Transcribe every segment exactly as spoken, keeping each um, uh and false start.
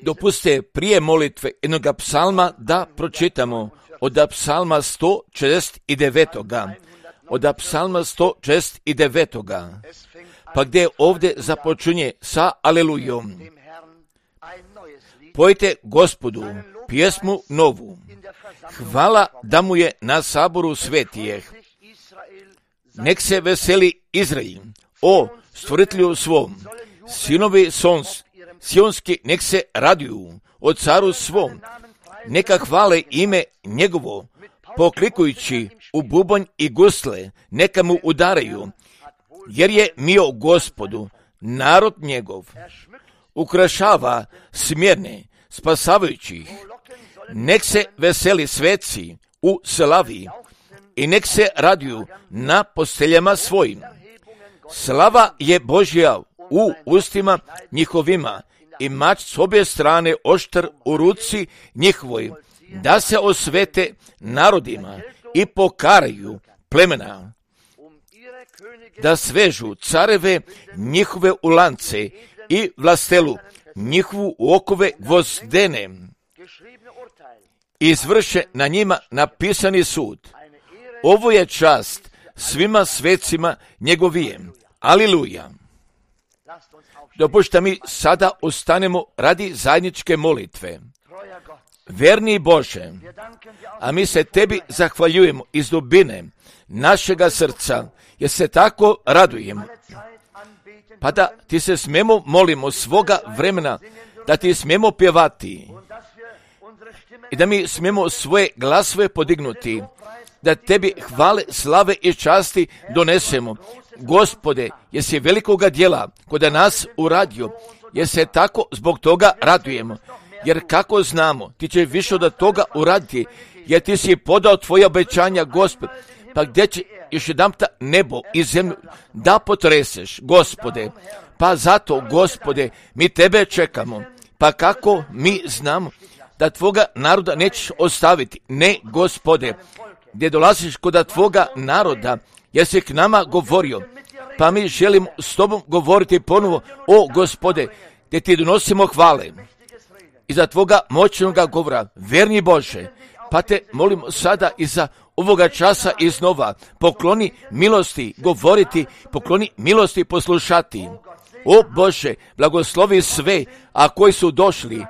Dopuste prije molitve jednog psalma da pročitamo od psalma sto šezdeset devet. Od psalma sto šezdeset devet. Pa gdje ovdje započinje sa alelujom. Pojte Gospodu pjesmu novu. Hvala da mu je na saboru svetijeh. Nek se veseli Izrael, o stvoritelju svom. Sinovi sons, sionski nek se raduju o caru svom. Neka hvale ime njegovo, poklikujući u bubanj i gusle, neka mu udaraju, jer je mio Gospodu, narod njegov. Ukrašava smjerne, spasavajućih. Nek se veseli sveci u slavi i nek se raduju na posteljama svojim. Slava je Božja u ustima njihovima i mač s obje strane oštr u ruci njihovoj, da se osvete narodima i pokaraju plemena, da svežu careve njihove u lance i vlastelu njihovu u okove gvozdene, izvrše na njima napisani sud. Ovo je čast svima svecima njegovijem. Aliluja. Dopušta mi sada ostanemo radi zajedničke molitve. Verni Bože, a mi se tebi zahvaljujemo iz dubine našega srca, jer se tako radujemo. Pa da ti se smemo molimo svoga vremena, da ti smemo pjevati i da mi smemo svoje glasove podignuti, da tebi hvale, slave i časti donesemo. Gospode, jesi velikoga djela kod nas uradio, jer se tako zbog toga radujemo. Jer kako znamo, ti će više od toga uraditi, jer ti si podao tvoje obećanja, Gospod. Pa gdje će još jedanputa nebo i zemlju da potreseš, Gospode? Pa zato, Gospode, mi tebe čekamo. Pa kako mi znamo da tvoga naroda nećeš ostaviti? Ne, Gospode, gdje dolaziš kod tvoga naroda, jer si k nama govorio, pa mi želimo s tobom govoriti ponovo, o Gospode, gdje ti donosimo hvale iza tvoga moćnoga govora. Verni Bože, pa te molimo sada iza ovoga časa iznova, pokloni milosti govoriti, pokloni milosti poslušati. O Bože, blagoslovi sve, a koji su došli,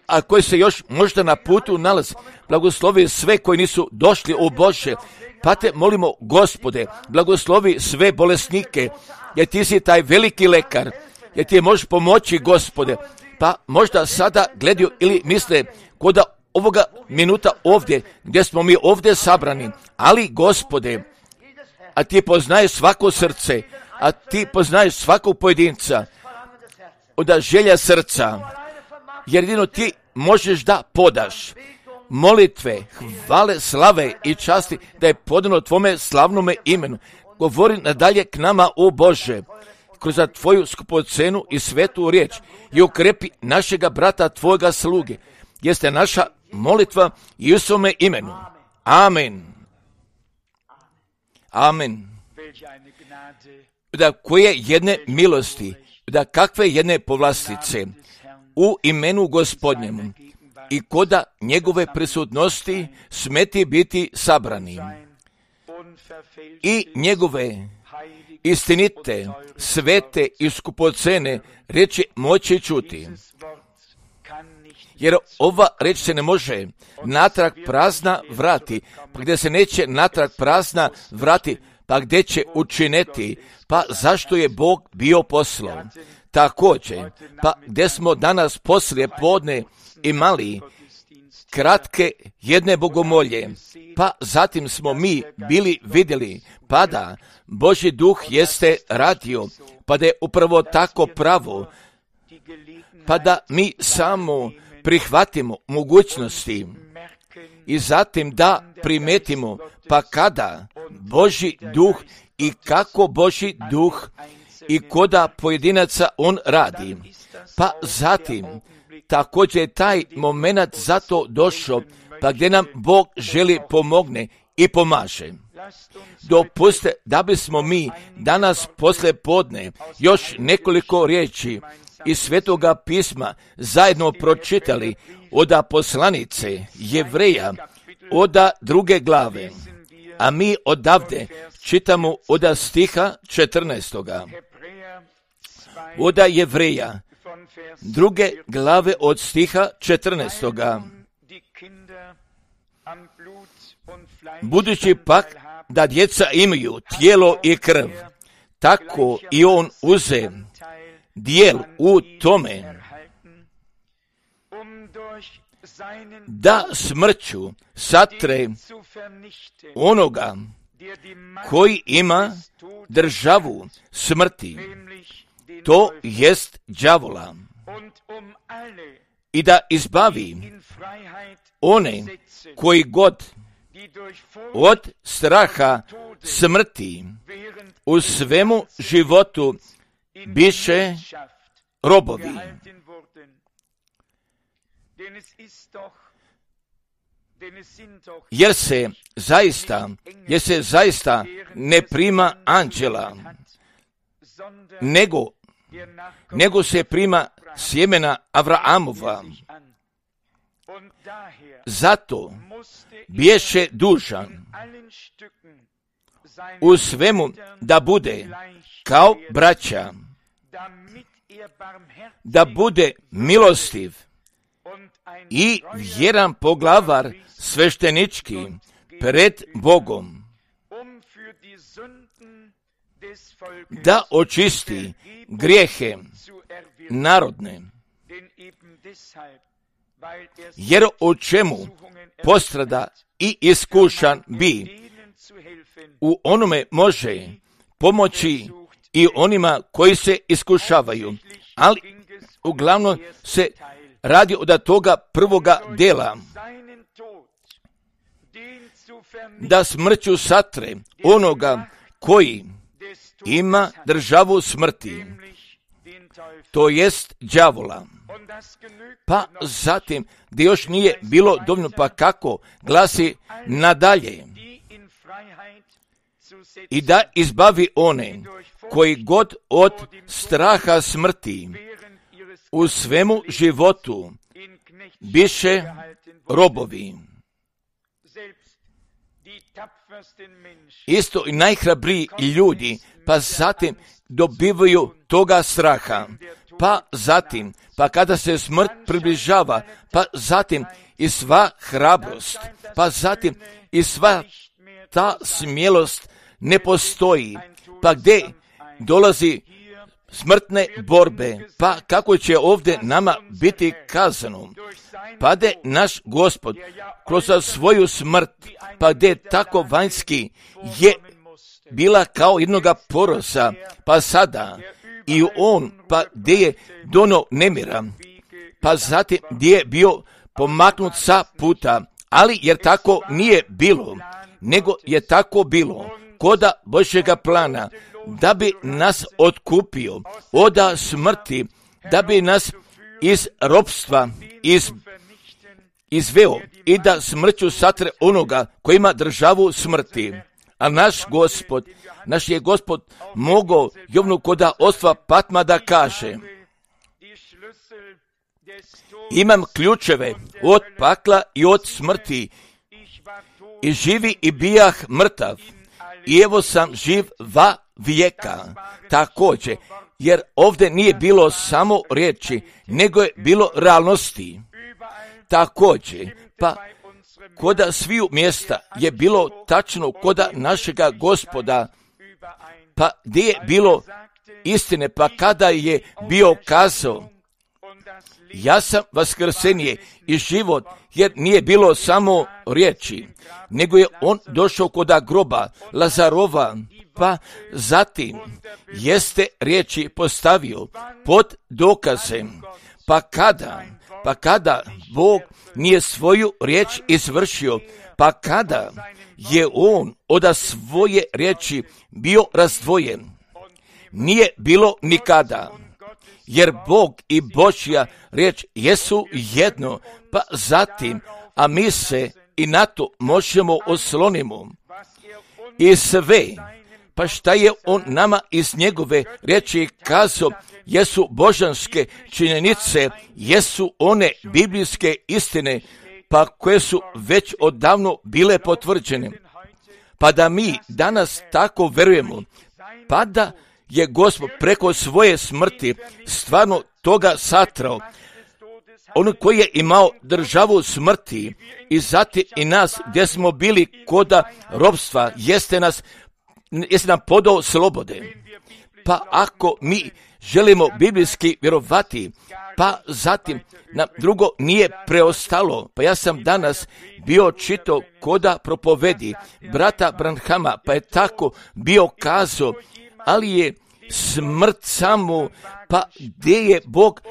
a koji se još možda na putu nalazi, blagoslovi sve koji nisu došli, o Bože, pa te molimo, Gospode, blagoslovi sve bolesnike, jer ti si taj veliki lekar, jer ti možeš pomoći, Gospode. Pa možda sada gledaju ili misle kod ovoga minuta ovdje, gdje smo mi ovdje sabrani, ali Gospode, a ti poznaješ svako srce, a ti poznaješ svakog pojedinca, od želja srca, jer jedino ti možeš da podaš molitve, hvale, slave i časti, da je podano tvome slavnome imenu. Govori nadalje k nama, o Bože, kroz tvoju skupocenu i svetu riječ i ukrepi našega brata, tvojega sluge. Jeste naša molitva i u svome imenu. Amen. Amen. Da koje jedne milosti, da kakve jedne povlastice u imenu Gospodnjemu i koda njegove prisutnosti smeti biti sabrani i njegove istinite, svete i skupocene riječi moći čuti. Jer ova riječ se ne može natrag prazna vrati, pa gdje se neće natrag prazna vrati, pa gdje će učiniti, pa zašto je Bog bio poslao. Također, pa gdje smo danas poslije podne imali kratke jedne bogomolje, pa zatim smo mi bili vidjeli, pa da Božji duh jeste radio, pa da je upravo tako pravo, pa da mi samo prihvatimo mogućnosti i zatim da primetimo, pa kada Božji duh i kako Božji duh i koda pojedinaca on radi. Pa zatim također je taj moment zato došao, pa gdje nam Bog želi pomogne i pomaže. Dopuste da bismo mi danas poslije podne još nekoliko riječi iz Svetoga pisma zajedno pročitali od poslanice Jevreja, od druge glave, a mi odavde čitamo od stiha četrnaestoga. Od Jevreja, druge glave od stiha četrnaestoga. Budući pak da djeca imaju tijelo i krv, tako i on uze dijel u tome, da smrću satre onoga koji ima državu smrti, to jest đavola, i da izbavi one koji god od straha smrti u svemu životu biše robovi. Jer se zaista, jer se zaista ne prima anđela, nego, nego se prima sjemena Avraamova. Zato biješe dužan u svemu da bude kao braća, da bude milostiv i vjeran poglavar sveštenički pred Bogom, da očisti grijehe narodne, jer o čemu postrada i iskušan bi, u onome može pomoći i onima koji se iskušavaju, ali uglavnom se radi od toga prvoga dela, da smrću satre onoga koji ima državu smrti, to jest đavola. Pa zatim, gdje još nije bilo dovoljno, pa kako glasi nadalje, i da izbavi one koji god od straha smrti u svemu životu biše robovi. Isto i najhrabriji ljudi, pa zatim dobivaju toga straha, pa zatim, pa kada se smrt približava, pa zatim i sva hrabrost, pa zatim i sva ta smjelost ne postoji, pa gdje dolazi smrtne borbe, pa kako će ovdje nama biti kazano, pa gdje naš Gospod kroz svoju smrt, pa gdje tako vanjski je bila kao jednoga porosa, pa sada i on, pa gdje je dono nemira, pa zatim gdje je bio pomaknut sa puta, ali jer tako nije bilo, nego je tako bilo koda Božjega plana, da bi nas otkupio od smrti, da bi nas iz ropstva iz, izveo i da smrću satre onoga koji ima državu smrti. A naš Gospod, naš je Gospod mogao Jovnu koda ostva Patma da kaže: imam ključeve od pakla i od smrti, i živi i bijah mrtav, i evo sam živ va vijeka. Također, jer ovdje nije bilo samo riječi, nego je bilo realnosti. Također, pa koda sviju mjesta je bilo tačno koda našega Gospoda, pa gdje je bilo istine, pa kada je bio kazao: ja sam vaskrsenje i život, jer nije bilo samo riječi, nego je on došao koda groba Lazarova, pa zatim jeste riječi postavio pod dokazem, pa kada, pa kada Bog nije svoju riječ izvršio, pa kada je on od svoje riječi bio razdvojen, nije bilo nikada, jer Bog i Božja riječ jesu jedno, pa zatim, a mi se i na to možemo oslonimo. I sve, Pa šta je on nama iz njegove riječi kazao, jesu božanske činjenice, jesu one biblijske istine, pa koje su već odavno bile potvrđene. Pa da mi danas tako verujemo, pa da je Gospod preko svoje smrti stvarno toga satrao, on koji je imao državu smrti i zatim i nas gdje smo bili koda robstva, jeste nas, jeste nam podao slobode. Pa ako mi želimo biblijski vjerovati, pa zatim nam drugo nije preostalo. Pa ja sam danas bio čitao koda propovedi brata Branhama, pa je tako bio kazao, ali je smrt samo, pa gdje je Bog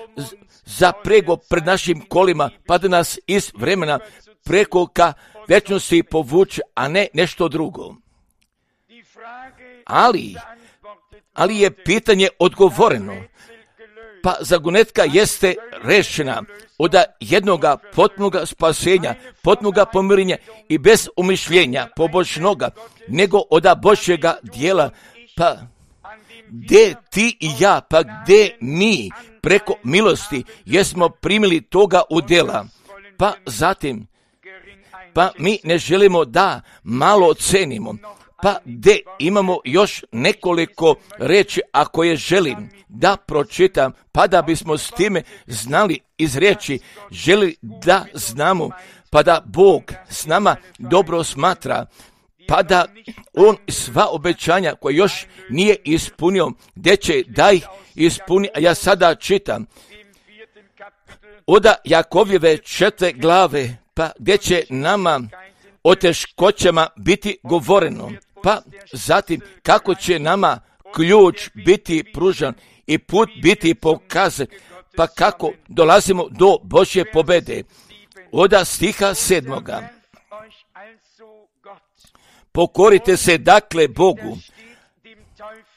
zaprego pred našim kolima, pa da nas iz vremena preko ka večnosti povuče, a ne nešto drugo. Ali, ali je pitanje odgovoreno, pa zagonetka jeste rešena od jednoga potpunoga spasenja, potpunoga pomirenja i bez umišljenja pobožnoga, nego od Božjega dijela, pa gdje ti i ja, pa gdje mi preko milosti jesmo primili toga udjela, pa zatim, pa mi ne želimo da malo ocenimo, pa gdje imamo još nekoliko reči, ako je želim da pročitam, pa da bismo s time znali iz riječi, želi da znamo, pa da Bog s nama dobro smatra, pa da on sva obećanja koje još nije ispunio, gdje će da ih ispuni, a ja sada čitam od Jakovljeve četvrte glave, pa gdje će nama o teškoćama biti govoreno, pa zatim kako će nama ključ biti pružan i put biti pokazan, pa kako dolazimo do Božje pobede. Od stiha sedmoga. Pokorite se dakle Bogu,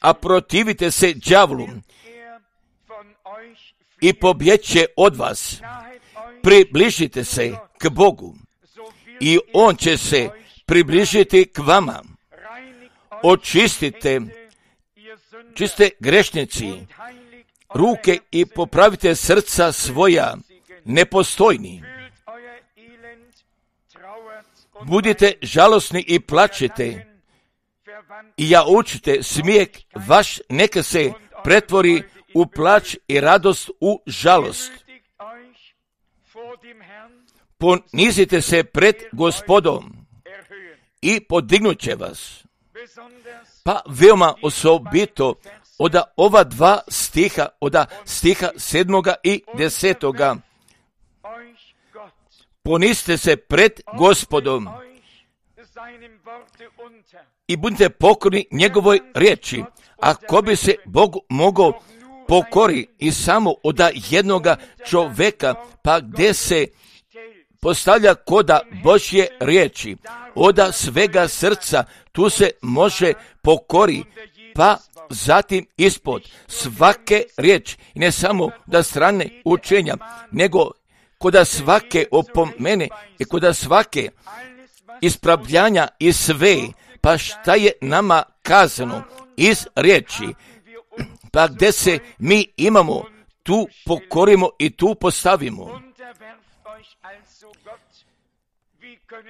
a protivite se đavlu i pobjeće od vas. Približite se k Bogu i On će se približiti k vama. Očistite, čiste grešnici, ruke i popravite srca svoja, nepostojni. Budite žalosni i plačite i ja učite smijeh vaš neka se pretvori u plač i radost u žalost. Ponizite se pred Gospodom i podignut će vas. Pa veoma osobito od ova dva stiha, od stiha sedmoga i desetoga. Ponizite se pred Gospodom i budite pokorni njegovoj riječi. Ako bi se Bog mogao pokori i samo od jednoga čoveka, pa gdje se postavlja koda Božje riječi, od svega srca, tu se može pokori, pa zatim ispod svake riječi, i ne samo da strane učenja, nego koda svake opomene i koda svake ispravljanja i sve, pa šta je nama kazano iz riječi, pa gdje se mi imamo, tu pokorimo i tu postavimo.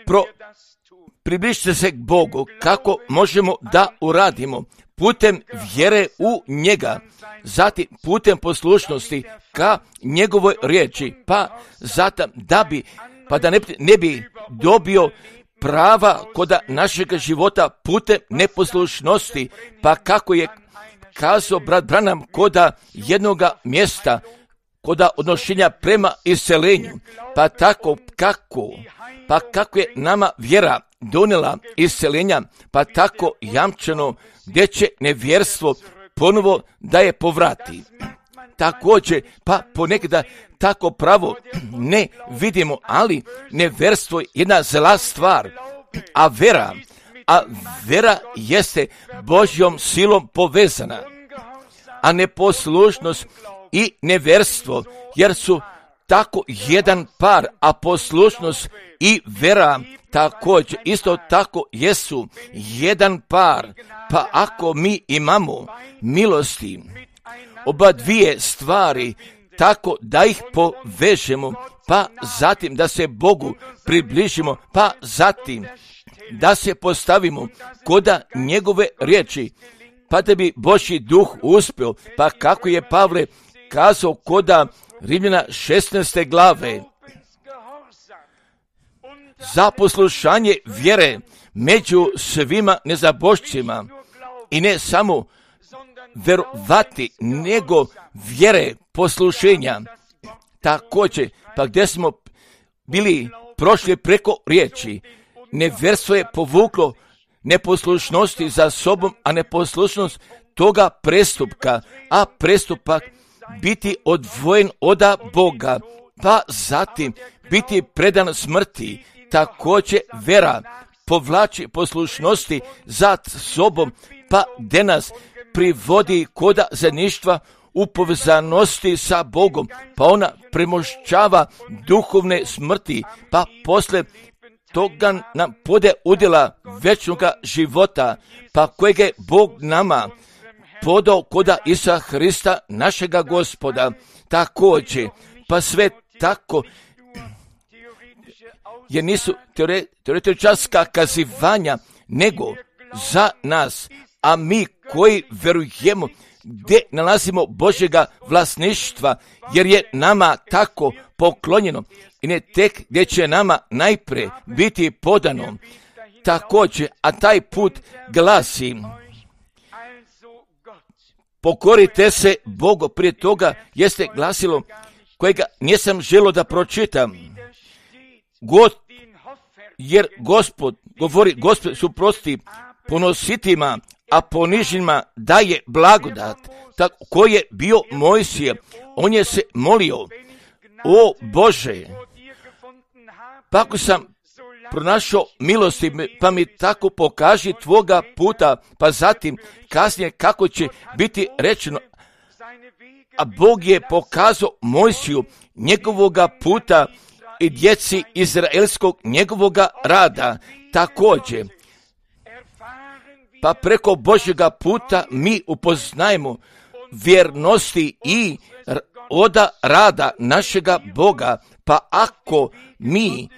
Pro, približite se k Bogu, kako možemo da uradimo? Putem vjere u njega, zatim putem poslušnosti ka njegovoj riječi, pa zatim da bi, pa da ne, ne bi dobio prava koda našeg života putem neposlušnosti, pa kako je kazao brat Branham koda jednoga mjesta, koda odnošenja prema iscelenju, pa tako kako, pa kako je nama vjera donijela iscelenja, pa tako jamčeno gdje će nevjerstvo ponovo da je povrati. Također, pa ponekada tako pravo ne vidimo, ali nevjerstvo je jedna zla stvar, a vera, a vera jeste Božjom silom povezana, a neposlušnost i nevjerstvo, jer su tako jedan par, a poslušnost i vera također isto tako jesu jedan par. Pa ako mi imamo milosti, oba dvije stvari, tako da ih povežemo, pa zatim da se Bogu približimo, pa zatim da se postavimo koda njegove riječi, pa da bi Božji duh uspio, pa kako je Pavle kazao koda Rimljana šesnaeste glave, za poslušanje vjere među svima nezabošćima, i ne samo verovati, nego vjere poslušenja. Također, pa gdje smo bili prošli preko riječi, nevjerstvo je povuklo neposlušnosti za sobom, a neposlušnost toga prestupka, a prestupak biti odvojen od Boga, pa zatim biti predan smrti. Također vera povlači poslušnosti za sobom, pa gdje nas privodi koda zajedništva u povezanosti sa Bogom, pa ona premošćava duhovne smrti, pa posle toga nam pode udjela večnoga života, pa kojeg je Bog nama podao koda Isusa Hrista, našega Gospoda. Također, pa sve tako, jer nisu teoretičarska kazivanja, nego za nas, a mi koji verujemo gdje nalazimo Božjega vlasništva, jer je nama tako poklonjeno i ne tek gdje će nama najprije biti podano. Također, a taj put glasi, pokorite se Bogu. Prije toga jeste glasilo kojega nisam želio da pročitam. God, jer Gospod govori, Gospod suprosti ponositima, a ponižnima daje blagodat. Tako koji je bio Mojsije, on je se molio, o Bože, pa ako sam pronašao milosti, pa mi tako pokaži tvoga puta, pa zatim kasnije kako će biti rečeno, a Bog je pokazao Mojsiju njegovoga puta i djeci izraelskog njegovoga rada. Također, pa preko Božjega puta mi upoznajemo vjernosti i oda rada našega Boga, pa ako mi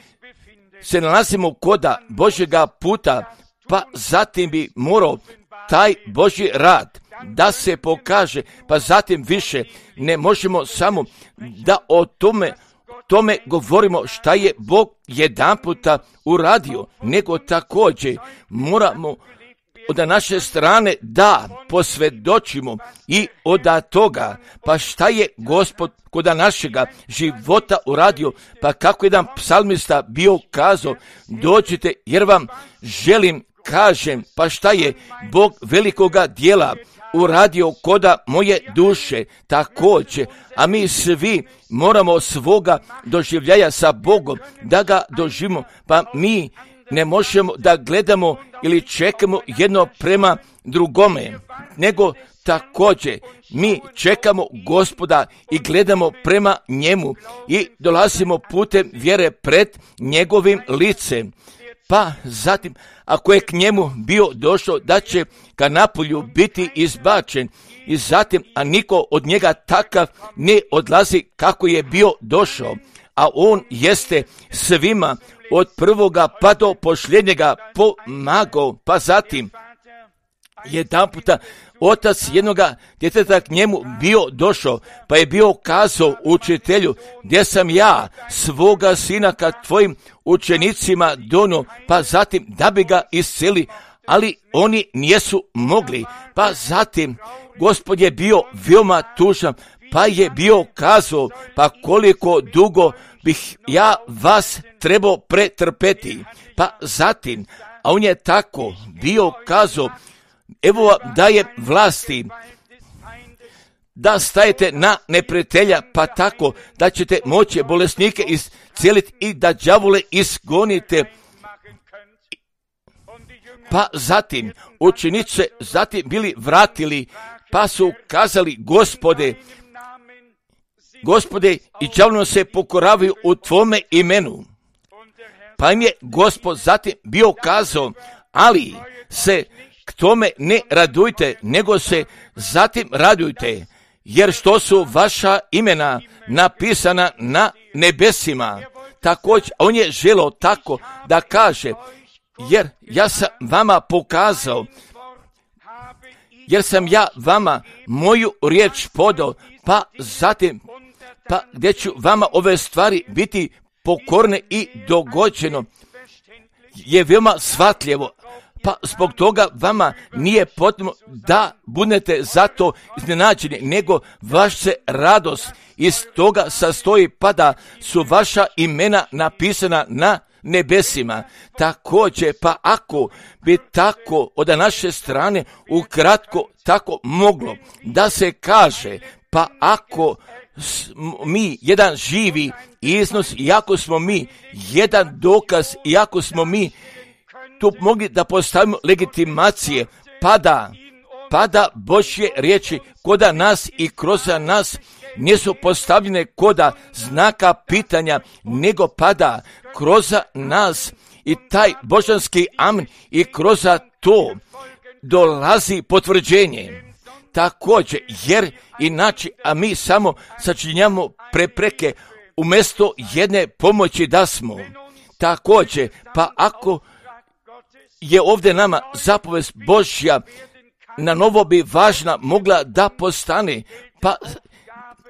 se nalazimo koda Božjega puta, pa zatim bi morao taj Božji rad da se pokaže, pa zatim više ne možemo samo da o tome tome govorimo šta je Bog jedan puta uradio, nego također moramo od naše strane da posvjedočimo i od toga, pa šta je Gospod kod našega života uradio, pa kako jedan psalmista bio kazao, dođite jer vam želim kažem, pa šta je Bog velikoga dijela uradio koda moje duše. Također, a mi svi moramo svoga doživljaja sa Bogom da ga doživimo, pa mi ne možemo da gledamo ili čekamo jedno prema drugome, nego također mi čekamo Gospoda i gledamo prema njemu i dolazimo putem vjere pred njegovim licem. Pa zatim, ako je k njemu bio došao, da će ka napolju biti izbačen i zatim, a niko od njega takav ne odlazi kako je bio došao, a on jeste svima od prvoga pa do posljednjega pomagao, pa zatim jedan puta otac jednoga djeteta k njemu bio došao, pa je bio kazao učitelju, gdje sam ja svoga sina ka tvojim učenicima dono, pa zatim da bi ga isceli, ali oni nisu mogli. Pa zatim Gospod je bio veoma tužan, pa je bio kazao, pa koliko dugo bih ja vas trebao pretrpeti. Pa zatim, a on je tako bio kazao, evo vam daje vlasti da stajete na neprijatelja, pa tako da ćete moći bolesnike iscijeliti i da đavole izgonite. Pa zatim učenici zatim bili vratili, pa su kazali, Gospode, Gospode, i đavlom se pokoravaju u Tvome imenu. Pa im je Gospod zatim bio kazao, ali se k tome ne radujte, nego se zatim radujte, jer što su vaša imena napisana na nebesima. Također, on je želio tako da kaže, jer ja sam vama pokazao, jer sam ja vama moju riječ podao, pa zatim, pa gdje ću vama ove stvari biti pokorne i dogođeno, je veoma shvatljivo. Pa zbog toga vama nije potrebno da budete zato iznenađeni, nego vaš se radost iz toga sastoji, pa da su vaša imena napisana na nebesima. Također, pa ako bi tako od naše strane ukratko tako moglo da se kaže, pa ako mi jedan živi iznos, iako smo mi jedan dokaz, iako smo mi tu mogli da postavimo legitimacije, pada, pada Božje riječi koda nas i kroz nas nisu postavljene koda znaka pitanja, nego pada kroz nas i taj božanski amen i kroz to dolazi potvrđenje. Također, jer inače, a mi samo sačinjamo prepreke umjesto jedne pomoći da smo. Također, pa ako je ovdje nama zapovest Božja na novo bi važna mogla da postane, pa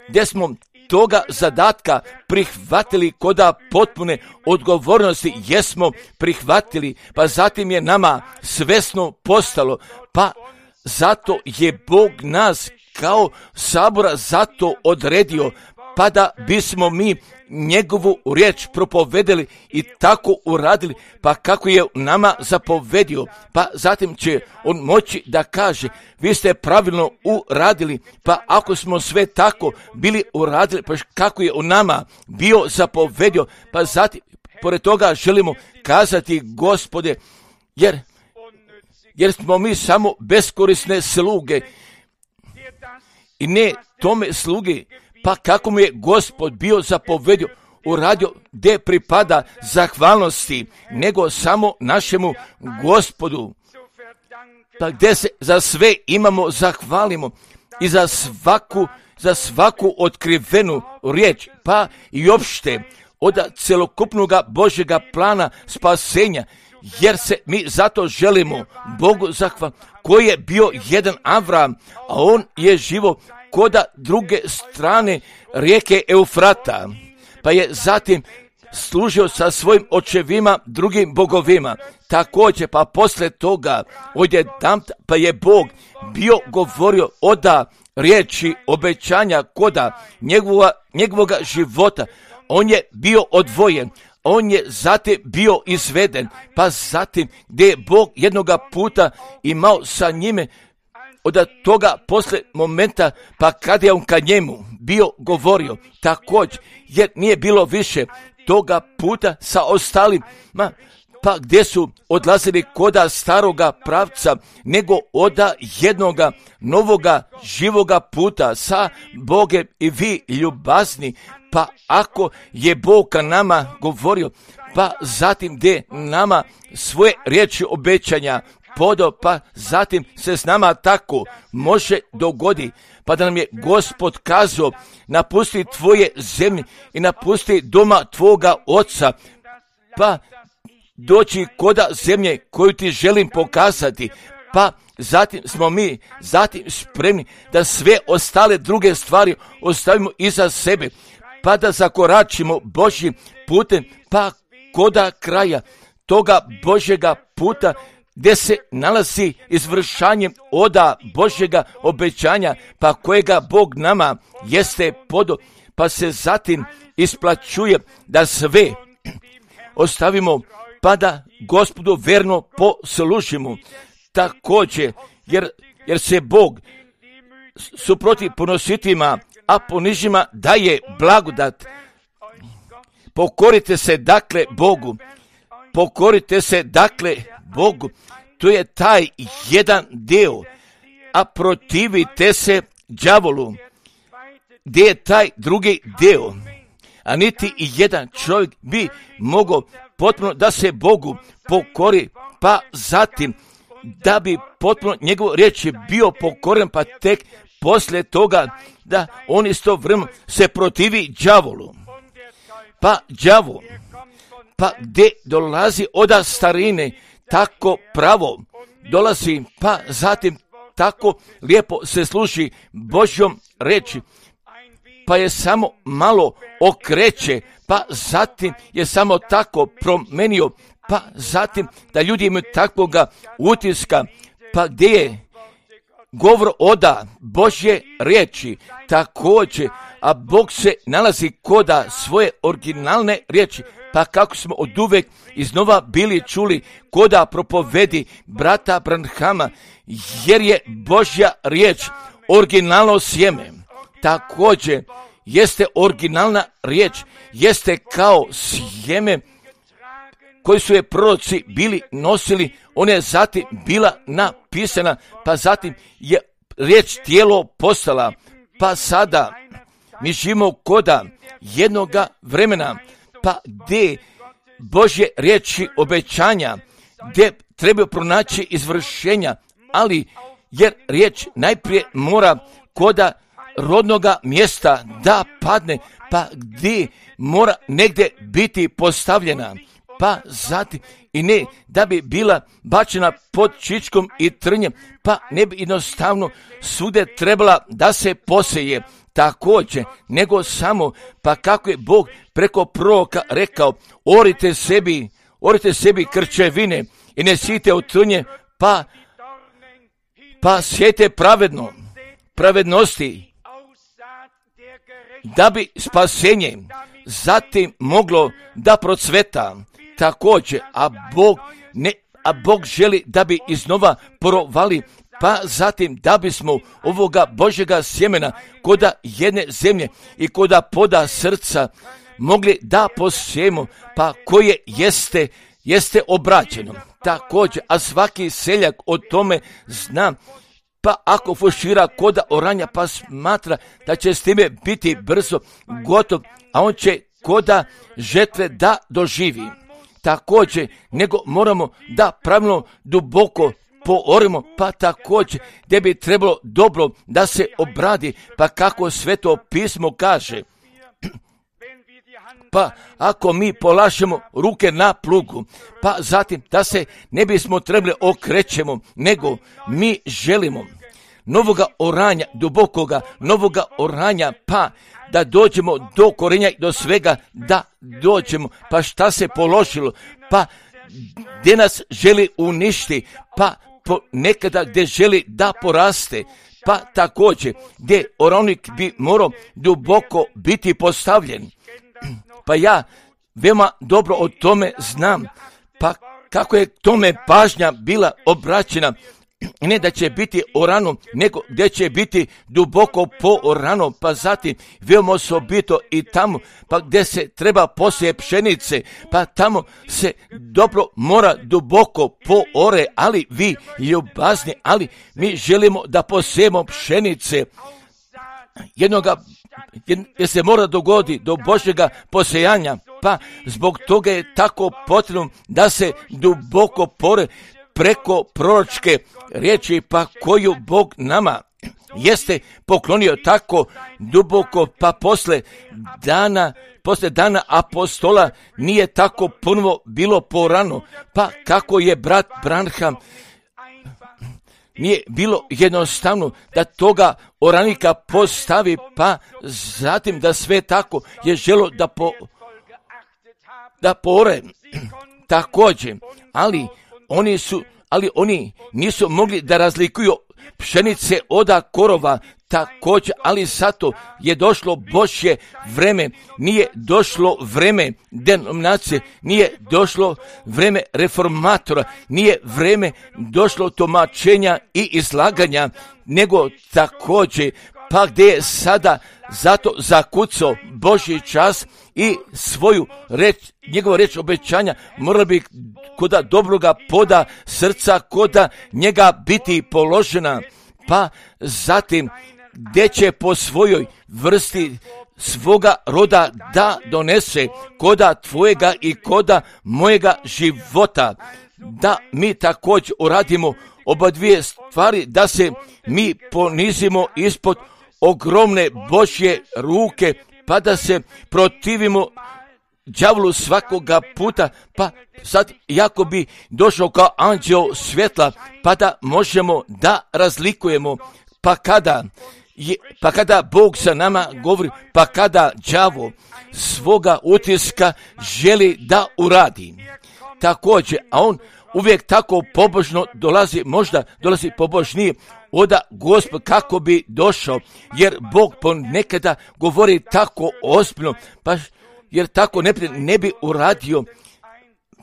gdje smo toga zadatka prihvatili koda potpune odgovornosti, jesmo prihvatili, pa zatim je nama svesno postalo, pa zato je Bog nas kao sabora zato odredio, pa da bismo mi njegovu riječ propovedeli i tako uradili, pa kako je nama zapovedio, pa zatim će on moći da kaže, vi ste pravilno uradili, pa ako smo sve tako bili uradili, pa kako je u nama bio zapovedio, pa zatim, pored toga želimo kazati, Gospode, jer, jer smo mi samo beskorisne sluge i ne tome sluge, pa kako mu je Gospod bio zapovedio, uradio gdje pripada zahvalnosti, nego samo našemu Gospodu. Pa gdje se za sve imamo zahvalimo i za svaku, za svaku otkrivenu riječ, pa i opšte od celokupnog Božjega plana spasenja, jer se mi zato želimo Bogu zahvaliti, koji je bio jedan Avram, a on je živo koda druge strane rijeke Eufrata, pa je zatim služio sa svojim očevima drugim bogovima. Također, pa posle toga odjedan pa je Bog bio govorio oda riječi obećanja koda njegova, njegovoga života. On je bio odvojen, on je zatim bio izveden, pa zatim gdje je Bog jednoga puta imao sa njime, od toga posle momenta, pa kad je on ka njemu bio govorio, također, jer nije bilo više toga puta sa ostalima, pa gdje su odlazili koda staroga pravca, nego oda jednoga novoga živoga puta sa Bogem i vi ljubazni, pa ako je Bog ka nama govorio, pa zatim gdje nama svoje riječi obećanja podao, pa zatim se s nama tako može dogodi, pa da nam je Gospod kazao, napusti tvoje zemlje i napusti doma tvoga oca, pa doći koda zemlje koju ti želim pokazati, pa zatim smo mi zatim spremni da sve ostale druge stvari ostavimo iza sebe, pa da zakoračimo Božjim putem, pa koda kraja toga Božjega puta, gdje se nalazi izvršanje oda Božjega obećanja, pa kojega Bog nama jeste podo, pa se zatim isplaćuje da sve ostavimo, pa da Gospodu verno poslužimo. Također, jer, jer se Bog suproti ponositima, a ponižima daje blagodat. Pokorite se dakle Bogu, pokorite se dakle Bogu, to je taj jedan dio, a protivite se đavolu. gdje je taj drugi dio, a niti i jedan čovjek bi mogao potpuno da se Bogu pokori, pa zatim da bi potpuno njegov riječ je bio pokoren, pa tek poslije toga da on istovremeno se protivi đavolu. Pa đavo, pa gdje dolazi od starine, tako pravo dolazi, pa zatim tako lijepo se služi Božjom reči, pa je samo malo okreće, pa zatim je samo tako promenio, pa zatim da ljudi imaju takvoga utiska, pa gdje je govor oda Božje riječi također, a Bog se nalazi koda svoje originalne riječi, pa kako smo od uvek iznova bili čuli koda propovedi brata Branhama, jer je Božja riječ originalno sjeme. Također jeste originalna riječ, jeste kao sjeme koji su je proroci bili nosili, ona je zatim bila napisana, pa zatim je riječ tijelo postala, pa sada mi živimo koda jednoga vremena, pa gdje Božje riječi obećanja, gdje treba pronaći izvršenja, ali jer riječ najprije mora koda rodnoga mjesta da padne, pa gdje mora negdje biti postavljena, pa zatim i ne da bi bila bačena pod čičkom i trnjem, pa ne bi jednostavno svude trebala da se poseje također, nego samo, pa kako je Bog preko proroka rekao, orite sebi, orite sebi krčevine i ne sijte od trnje, pa, pa sjejte pravedno, pravednosti, da bi spasenje zatim moglo da procveta također, a Bog ne, a Bog želi da bi iznova porovali, pa zatim da bismo ovoga Božjega sjemena koda jedne zemlje i koda poda srca mogli da posijemo, pa koje jeste, jeste obraćeno također, a svaki seljak o tome zna, pa ako fušira koda oranja, pa smatra da će s time biti brzo gotov, a on će koda žetve da doživi. Također, nego moramo da pravilno duboko poorimo, pa također gdje bi trebalo dobro da se obradi, pa kako Sveto pismo kaže, pa ako mi polažemo ruke na plugu, pa zatim da se ne bismo trebali okrećemo, nego mi želimo novoga oranja, dubokoga novoga oranja, pa da dođemo do korenja i do svega da dođemo, pa šta se položilo, pa gdje nas želi uništi, pa po nekada gdje želi da poraste, pa također gdje oranik bi morao duboko biti postavljen. Pa ja veoma dobro o tome znam, pa kako je tome pažnja bila obraćena, ne da će biti orano, nego gdje će biti duboko po orano, pa zatim veoma osobito i tamo, pa gdje se treba posije pšenice, pa tamo se dobro mora duboko po ore, ali vi ljubazni, ali mi želimo da posijemo pšenice jednoga, jer se mora dogodi do Božjega posejanja, pa zbog toga je tako potrebno da se duboko pore preko proročke riječi, pa koju Bog nama jeste poklonio tako duboko, pa posle dana, posle dana apostola nije tako ponovo bilo porano, pa kako je brat Branham, nije bilo jednostavno da toga oranika postavi, pa zatim da sve tako je želo da po, da pore također, ali oni su, ali oni nisu mogli da razlikuju pšenice od korova također, ali zato je došlo Božje vreme, nije došlo vreme denominacije, nije došlo vreme reformatora, nije vreme došlo tumačenja i izlaganja, nego također, pa gdje je sada zato zakucao Božji čas i svoju reč, njegova reč obećanja mora bi koda dobroga poda srca, koda njega biti položena, pa zatim gdje će po svojoj vrsti svoga roda da donese koda tvojega i koda mojega života, da mi također uradimo oba dvije stvari, da se mi ponizimo ispod ogromne Božje ruke, pa da se protivimo đavlu svakoga puta, pa sad jako bi došao kao anđeo svjetla, pa da možemo da razlikujemo, pa kada je, pa kada Bog sa nama govori, pa kada đavo svoga utiska želi da uradi. Također, a on uvijek tako pobožno dolazi, možda dolazi pobožnije oda Gospod kako bi došao, jer Bog ponekada govori tako ozbiljno, pa jer tako ne, ne bi uradio,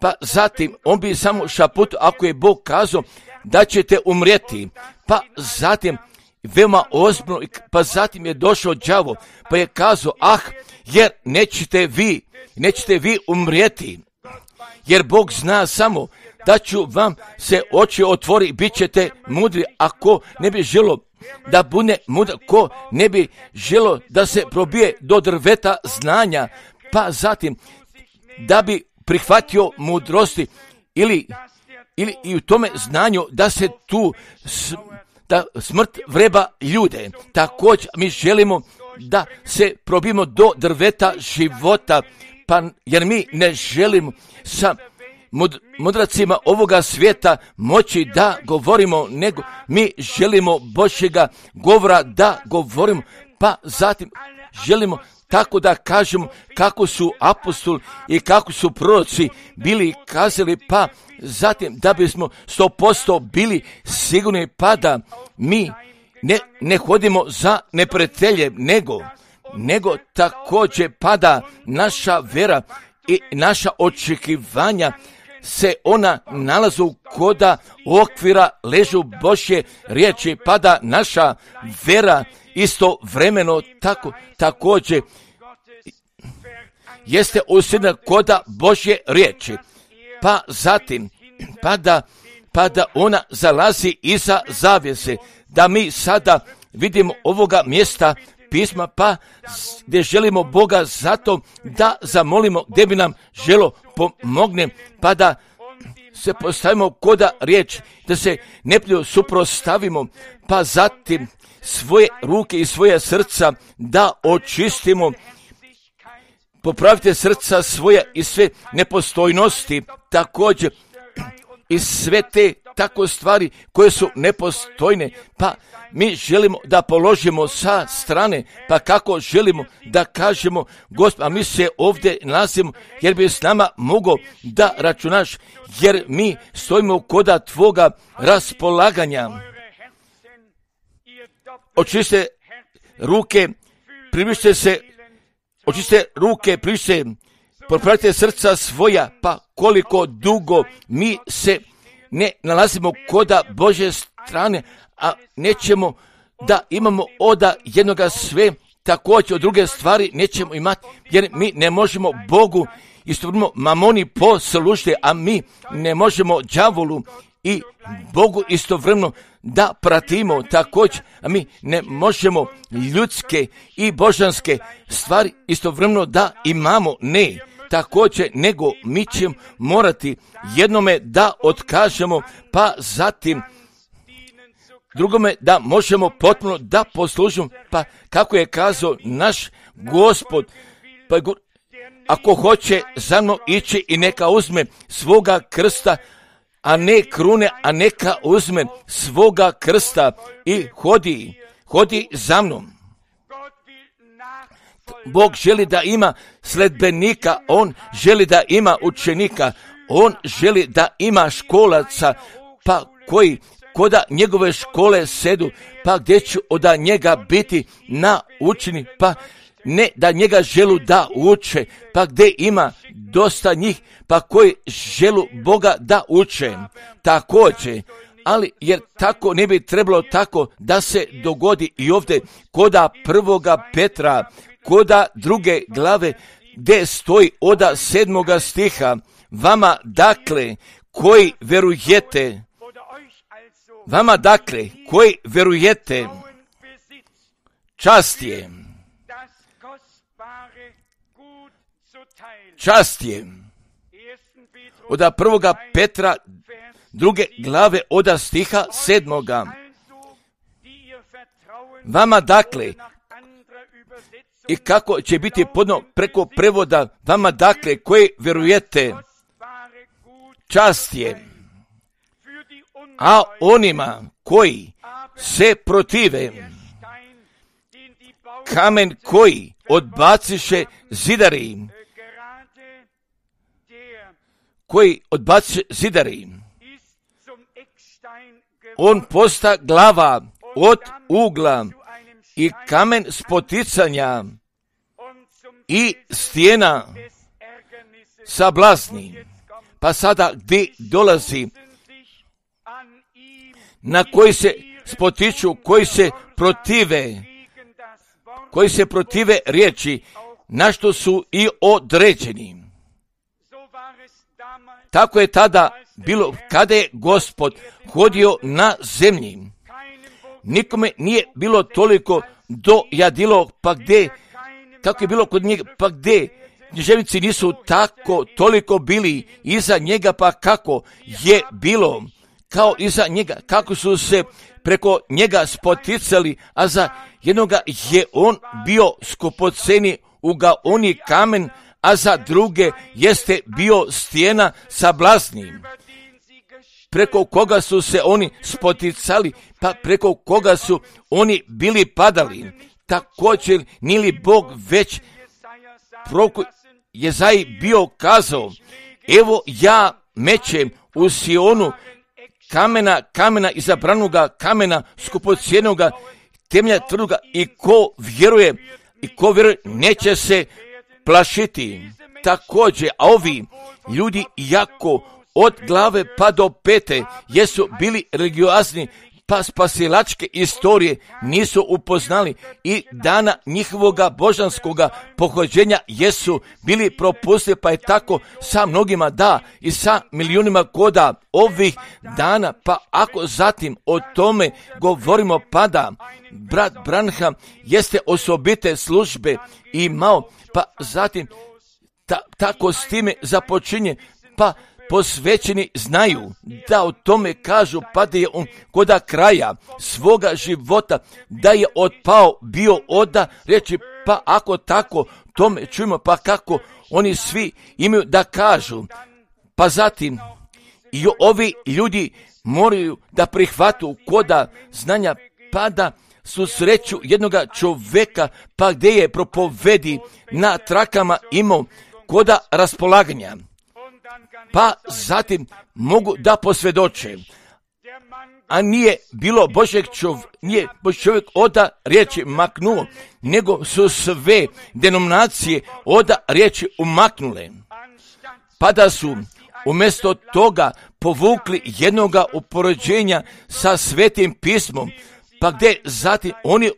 pa zatim on bi samo šaput, ako je Bog kazao da ćete umrijeti, pa zatim veoma ozbiljno, pa zatim je došao đavo, pa je kazao, ah, jer nećete vi, nećete vi umrijeti, jer Bog zna samo da ću vam se oči otvori i bit ćete mudri, ako ne bi želo da bude mudar, ko ne bi želo da se probije do drveta znanja, pa zatim da bi prihvatio mudrosti ili, ili i u tome znanju da se tu s, da smrt vreba ljude. Također mi želimo da se probimo do drveta života, pa jer mi ne želimo sa mud, mudracima ovoga svijeta moći da govorimo, nego mi želimo Božjega govora da govorimo, pa zatim želimo tako da kažemo kako su apostoli i kako su proroci bili kazali, pa zatim da bismo sto posto bili sigurni, pa da mi ne, ne hodimo za neprijateljem, nego, nego također pada naša vera i naša očekivanja se ona nalazu koda okvira ležu Božje riječi, pa da naša vera istovremeno tako, također jeste usjedna koda Božje riječi, pa zatim pa da, pa da ona zalazi iza zavjese, da mi sada vidimo ovoga mjesta pisma, pa gdje želimo Boga zato da zamolimo, gdje bi nam želo pomogne, pa da se postavimo koda riječ, da se nepljivo suprotstavimo, pa zatim svoje ruke i svoje srca da očistimo, popravite srca svoja i sve nepostojnosti, također i sve te tako stvari koje su nepostojne, pa mi želimo da položimo sa strane, pa kako želimo da kažemo, Gospod, a mi se ovdje nalazimo, jer bi s nama mogao da računaš, jer mi stojimo koda tvoga raspolaganja. Očiste ruke, približite se, očiste ruke, približite, popravite srca svoja, pa koliko dugo mi se ne nalazimo koda Božje strane, a nećemo da imamo oda jednoga sve, također od druge stvari nećemo imati, jer mi ne možemo Bogu istovremeno mamoni poslužiti, a mi ne možemo đavolu i Bogu istovremeno da pratimo također, a mi ne možemo ljudske i božanske stvari istovremeno da imamo, ne. Također, nego mi ćemo morati jednome da otkažemo, pa zatim drugome da možemo potpuno da poslužimo, pa kako je kazao naš Gospod, pa ako hoće za mnom ići i neka uzme svoga krsta, a ne krune, a neka uzme svoga krsta i hodi, hodi za mnom. Bog želi da ima sledbenika, on želi da ima učenika, on želi da ima školaca, pa koji koda njegove škole sedu, pa gdje će od njega biti naučeni, pa ne da njega želu da uče, pa gdje ima dosta njih, pa koji želu Boga da uče. Također, ali jer tako ne bi trebalo tako da se dogodi i ovdje koda prvoga Petra, koda druge glave, gdje stoji oda sedmoga stiha, vama dakle koji verujete, vama dakle koji verujete, čast je, čast je, od prvoga Petra, druge glave, od stiha sedmoga. Vama dakle, i kako će biti podno preko prevoda, vama dakle, koji vjerujete, čast je, a onima koji se protive, kamen koji odbaciše zidari, koji odbaciše zidari, on posta glava od ugla i kamen spoticanja i stijena sablasni. Pa sada gdje dolazi, na koji se spotiču, koji se protive, koji se protive riječi, na što su i određeni. Tako je tada bilo kada je Gospod hodio na zemlji. Nikome nije bilo toliko dojadilo, pa gdje, kako je bilo kod njega, pa gdje književnici nisu tako toliko bili iza njega, pa kako je bilo kao iza njega, kako su se preko njega spoticali, a za jednoga je on bio skupoceni ugaoni kamen, a za druge jeste bio stijena sablasni, preko koga su se oni spoticali, pa preko koga su oni bili padali. Također nije li Bog već proko Jezaji bio kazao, evo ja mećem u Sionu kamena, kamena izabranoga, kamena skupocjenoga, temelja tvrdoga, i ko vjeruje, i ko vjeruje neće se plašiti. Također, a ovi ljudi jako od glave pa do pete jesu bili religiozni, pa spasilačke istorije nisu upoznali i dana njihovoga božanskoga pohođenja jesu bili propustili, pa je tako sa mnogima da i sa milijunima koda ovih dana. Pa ako zatim o tome govorimo, pa da brat Branham jeste osobite službe imao, pa zatim ta, tako s time započinje, pa posvećeni znaju da o tome kažu, pa da je on koda kraja svoga života, da je otpao bio oda reći, pa ako tako tome čujemo, pa kako oni svi imaju da kažu. Pa zatim i ovi ljudi moraju da prihvatu koda znanja, pa da su sreću jednoga čovjeka, pa gdje je propovedi na trakama imao koda raspolaganja, pa zatim mogu da posvjedoče, a nije bilo Božeg čovjek, nije Božji čovjek oda riječi maknuo, nego su sve denominacije oda riječi umaknule, pa da su umjesto toga povukli jednoga upoređenja sa Svetim pismom, pa gdje zatim oni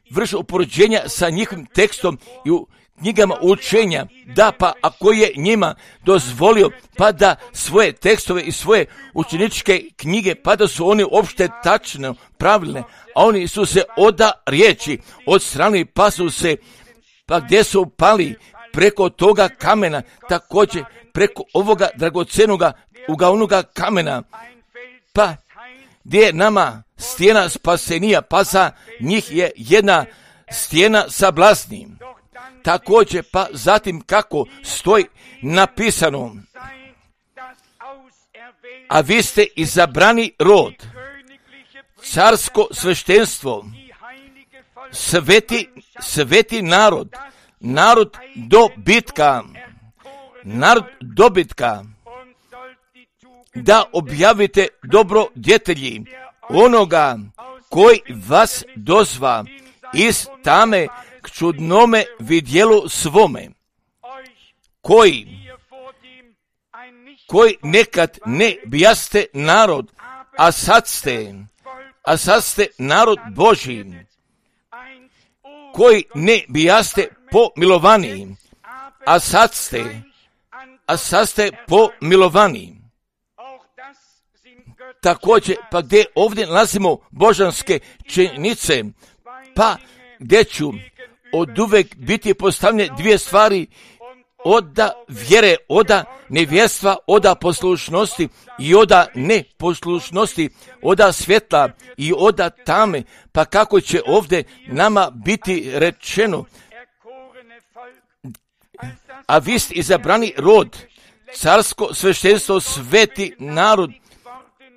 vrše upoređenja sa njihovim tekstom i u knjigama učenja, da pa ako je njima dozvolio, pa da svoje tekstove i svoje učeničke knjige, pa da su oni opšte tačno pravilne, a oni su se oda riječi od strane, pa su se, pa gdje su pali preko toga kamena, također preko ovoga dragocenoga ugaonoga kamena, pa gdje je nama stijena spasenija, pa za njih je jedna stijena sablasni. Također, pa zatim kako stoji napisano, a vi ste izabrani rod, carsko sveštenstvo, sveti, sveti narod, narod dobitka, narod dobitka, da objavite dobrodjetelji onoga koji vas dozva iz tame k čudnome vidjelu svome, koji, koji nekad ne bijaste narod, a sad ste, a sad ste narod Božji, koji ne bijaste pomilovani, a sad ste, a sad ste pomilovani. Također, pa gdje ovdje nalazimo božanske činjenice, pa gdje ću od uvek biti postavljene dvije stvari, oda vjere, oda nevjerstva, oda poslušnosti i oda neposlušnosti, oda svjetla i oda tame. Pa kako će ovdje nama biti rečeno, a vi ste izabrani rod, carsko sveštenstvo, sveti narod,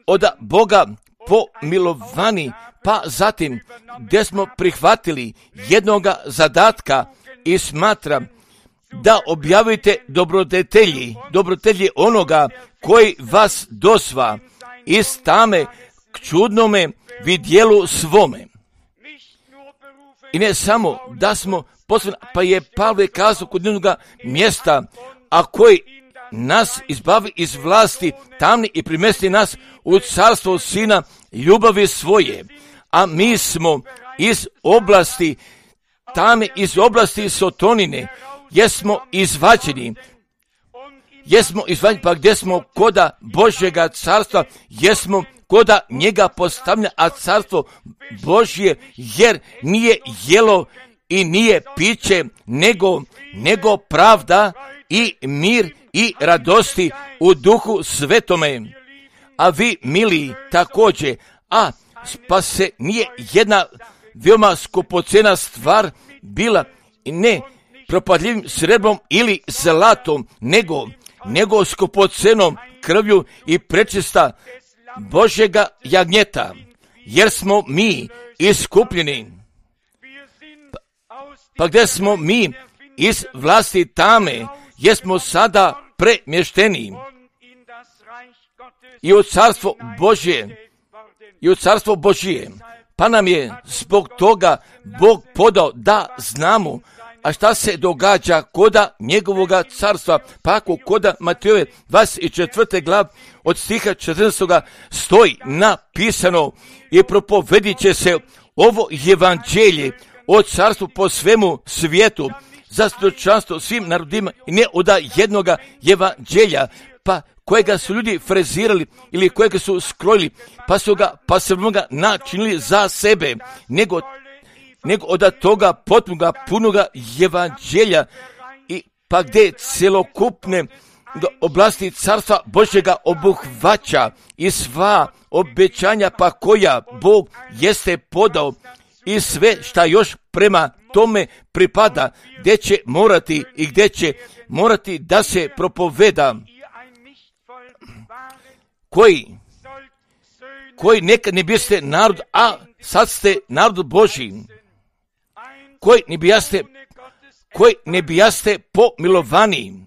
oda Boga pomilovani, pa zatim gdje smo prihvatili jednoga zadatka i smatram da objavite dobrodetelji, dobrodetelji onoga koji vas dosva iz tame k čudnome vidjelu svome. I ne samo da smo poslani, pa je Pavle kazao kod jednoga mjesta, a koji nas izbavi iz vlasti tamni i primesti nas u carstvo Sina ljubavi svoje. A mi smo iz oblasti tame, iz oblasti sotonine, jesmo izvađeni, jesmo izvađeni, pa gdje smo koda Božjega carstva, jesmo koda njega postavlja, a carstvo Božje, jer nije jelo i nije piće, nego, nego pravda i mir i radosti u duhu svetome. A vi, mili, također, a spase nije jedna veoma skupocena stvar bila, ne propadljivim srebrom ili zlatom, nego, nego skupocenom krvlju i prečista Božjega jagnjeta, jer smo mi iskupljeni. Pa, pa gdje smo mi iz vlasti tame, jesmo sada premješteni i u carstvo Božje, i u carstvo Božije. Pa nam je zbog toga Bog podao da znamo, a šta se događa koda njegovoga carstva. Pa ako koda Matejove dvadeset četvrte glave od stiha četrnaestog stoji napisano i propovedit će se ovo evanđelje o carstvu po svemu svijetu za svjedočanstvo svim narodima i ne od jednoga evanđelja, pa kojega su ljudi frezirali ili kojega su skrojili, pa su ga, pa su ga načinili za sebe, nego, nego od toga potpunoga, punoga evanđelja, i pa gdje celokupne oblasti carstva Božjega obuhvaća i sva obećanja pa koja Bog jeste podao i sve šta još prema tome pripada, gdje će morati i gdje će morati da se propoveda, koji, koji nekad ne biste narod, a sad ste narod Božji, koji ne bijaste, koji ne bijaste pomilovani,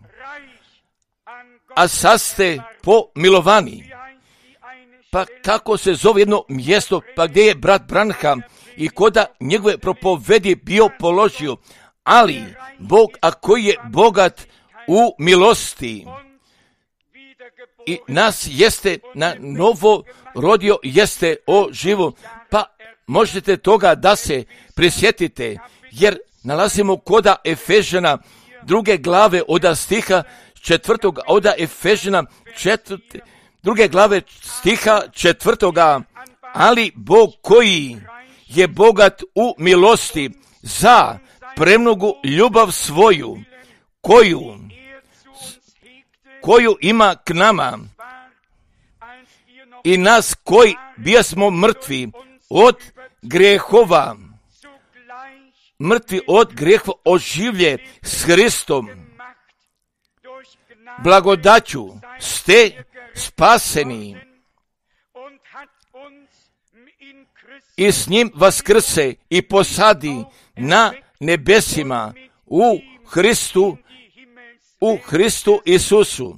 a sad ste pomilovani. Pa kako se zove jedno mjesto, pa gdje je brat Branham i koda njegove propovedi bio položio, ali Bog, a koji je bogat u milosti, i nas jeste na novo rodio, jeste oživo, pa možete toga da se prisjetite, jer nalazimo koda Efežana druge glave od stiha četvrtog, od Efežana četvrte, druge glave stiha četvrtoga, ali Bog koji je bogat u milosti za premnogu ljubav svoju, koju koju ima k nama i nas koji bijasmo mrtvi od grehova, mrtvi od grehova oživlje s Hristom. Blagodaću ste spaseni i s njim vaskrse i posadi na nebesima u Hristu, u Hristu Isusu,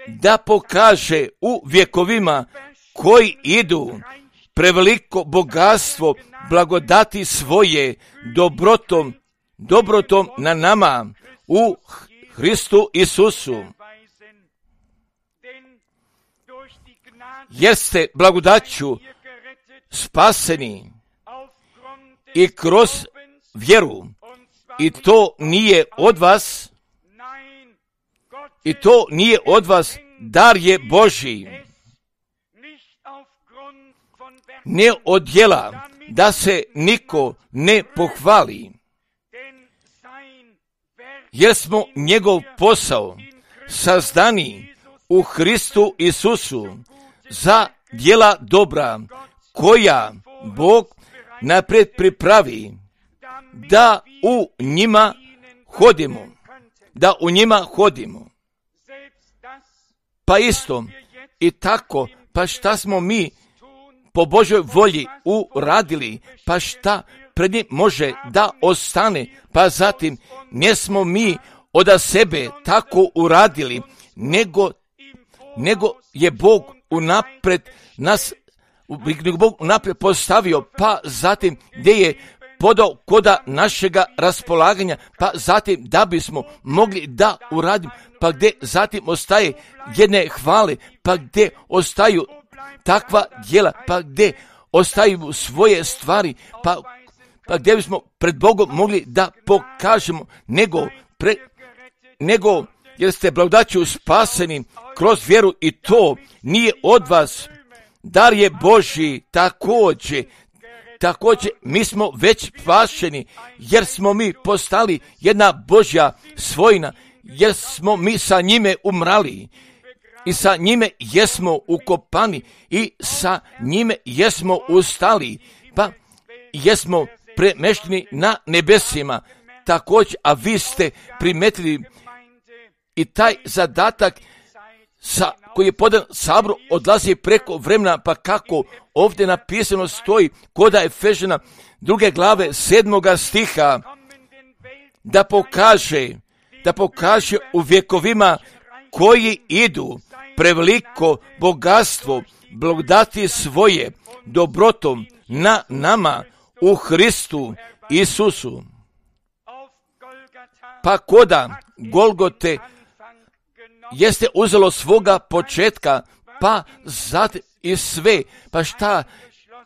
da pokaže u vjekovima koji idu preveliko bogatstvo blagodati svoje dobrotom, dobrotom na nama u Hristu Isusu. Jer ste blagodaću spaseni i kroz vjeru, i to nije od vas, i to nije od vas, dar je Božji, ne od djela, da se niko ne pohvali, jer smo njegov posao sazdani u Hristu Isusu za djela dobra, koja Bog naprijed pripravi, da u njima hodimo, da u njima hodimo. Pa isto i tako, pa šta smo mi po Božoj volji uradili, pa šta pred njim može da ostane, pa zatim nismo mi od sebe tako uradili, nego, nego je Bog unapred nas, Bog unapred postavio, pa zatim gdje je podao koda našega raspolaganja, pa zatim da bismo mogli da uradimo, pa gdje zatim ostaje jedne hvale, pa gdje ostaju takva djela, pa gdje ostaju svoje stvari, pa, pa gdje bismo pred Bogom mogli da pokažemo, nego, pre, nego jer ste blagodaću spaseni kroz vjeru i to nije od vas, dar je Božji. Također, također mi smo već spašeni, jer smo mi postali jedna Božja svojina, jer smo mi sa njime umrali i sa njime jesmo ukopani i sa njime jesmo ustali, pa jesmo premešteni na nebesima. Također, a vi ste primetili i taj zadatak sa, koji je podan Saboru odlazi preko vremena, pa kako ovdje napisano stoji koda Efežana druge glave sedmoga stiha, da pokaže, da pokaže u vjekovima koji idu preveliko bogatstvo blagodati svoje dobrotom na nama u Hristu Isusu. Pa koda Golgote jeste uzelo svoga početka, pa zatim i sve, pa šta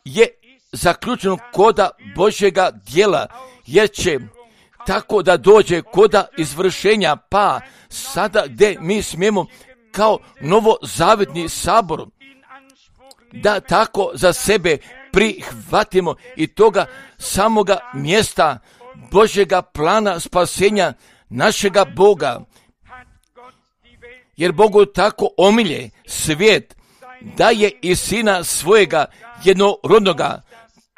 je zaključeno koda Božjega djela, jer će tako da dođe koda izvršenja, pa sada gdje mi smijemo kao novozavetni sabor da tako za sebe prihvatimo i toga samoga mjesta Božjega plana spasenja našega Boga. Jer Bogu tako omilje svijet, da je i sina svojega jednorodnoga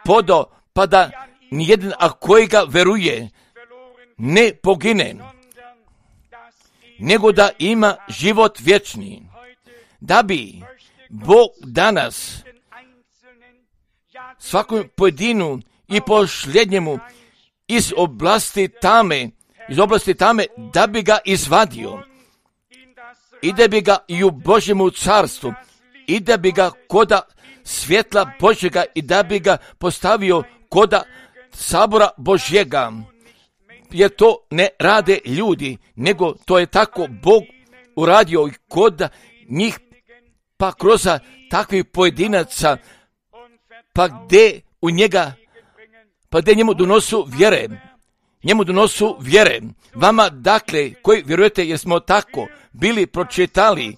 podao, pa da nijedan, a kojega veruje, ne pogine, nego da ima život vječni. Da bi Bog danas svakom pojedinu i posljednjemu iz oblasti tame, iz oblasti tame, da bi ga izvadio i da bi ga i u Božjemu carstvu, i da bi ga koda svjetla Božjega i da bi ga postavio koda sabora Božjega. Jer to ne rade ljudi, nego to je tako Bog uradio i koda njih, pa kroz takvih pojedinaca, pa gdje u njega, pa gdje njemu donosu vjere, njemu donosu vjere. Vama, dakle, koji vjerujete, jer smo tako bili pročitali,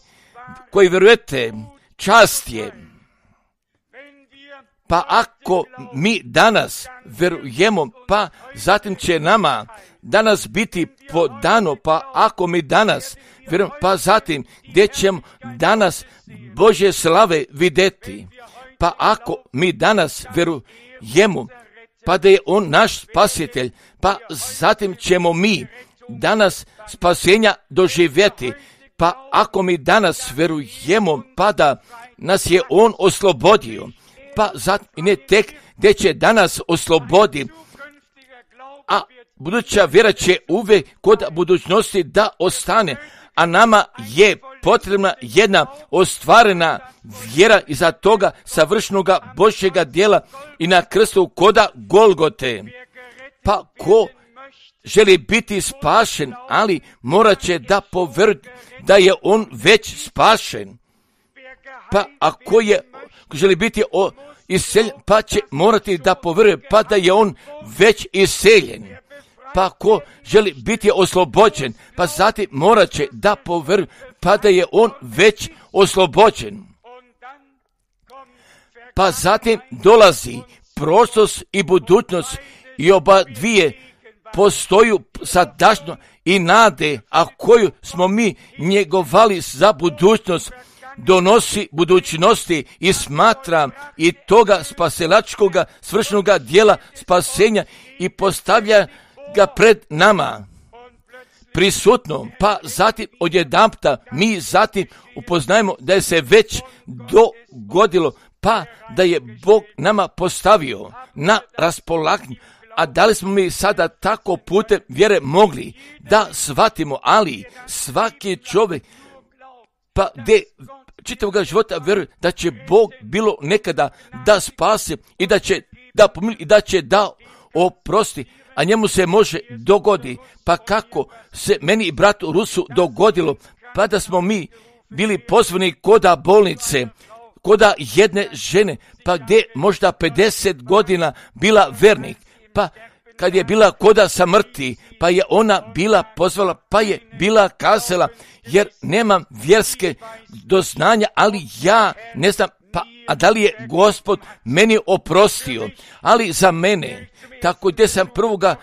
koji vjerujete, čast je. Pa ako mi danas vjerujemo, pa zatim će nama danas biti podano, pa ako mi danas vjerujemo, pa zatim gdje ćemo danas Božje slave vidjeti. Pa ako mi danas vjerujemo, pa da je On naš spasitelj, pa zatim ćemo mi danas spasenja doživjeti. Pa ako mi danas vjerujemo, pa da nas je On oslobodio, pa zatim ne tek gdje će danas oslobodi, a buduća vjera će uvijek kod budućnosti da ostane, a nama je potrebna jedna ostvarena vjera iza toga savršenoga Božjega djela i na krstu koda Golgote. Pa ko želi biti spašen, ali morat će da povjeruje da je on već spašen. Pa ako je ko želi biti o, iseljen, pa će morati da povjeruje pa da je on već iseljen. Pa ko želi biti oslobođen, pa zatim morat će da povjeruje pa da je on već oslobođen. Pa zatim dolazi prošlost i budućnost i oba dvije postoju sadašnjo i nade, a koju smo mi njegovali za budućnost, donosi budućnosti i smatra i toga spasilačkoga svršenoga dijela spasenja i postavlja ga pred nama prisutno, pa zatim odjedanputa mi zatim upoznajemo da je se već dogodilo, pa da je Bog nama postavio na raspolaganju. A da li smo mi sada tako putem vjere mogli da shvatimo, ali svaki čovjek pa gdje čitavoga života vjeruje da će Bog bilo nekada da spase i da će da pomili i da će da oprosti, a njemu se može dogodi. Pa kako se meni i bratu Rusu dogodilo, pa da smo mi bili pozvani koda bolnice, koda jedne žene, pa gdje možda pedeset godina bila vernik, pa kad je bila koda samrti, pa je ona bila pozvala, pa je bila kazala, jer nemam vjerske doznanja, ali ja ne znam, pa a da li je Gospod meni oprostio, ali za mene, tako gdje sam prvoga